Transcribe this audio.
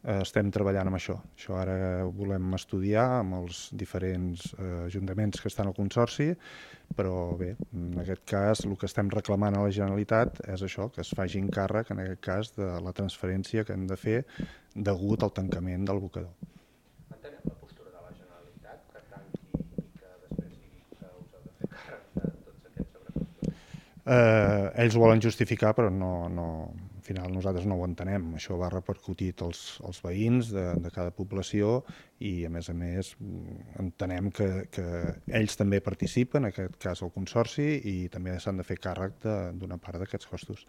estem treballant amb això. Això ara ho volem estudiar amb els diferents ajuntaments que estan al Consorci, però bé, en aquest cas el que estem reclamant a la Generalitat és això, que es faci càrrec, en aquest cas, de la transferència que hem de fer degut al tancament del bocador. Entenem la postura de la Generalitat, que tanqui i que després digui que us heu de fer càrrec de tots aquests sobrecostos? Ells ho volen justificar, però al final nosaltres no ho entenem. Això va repercutit als veïns de cada població i, a més, entenem que ells també participen, en aquest cas el Consorci, i també s'han de fer càrrec d'una part d'aquests costos.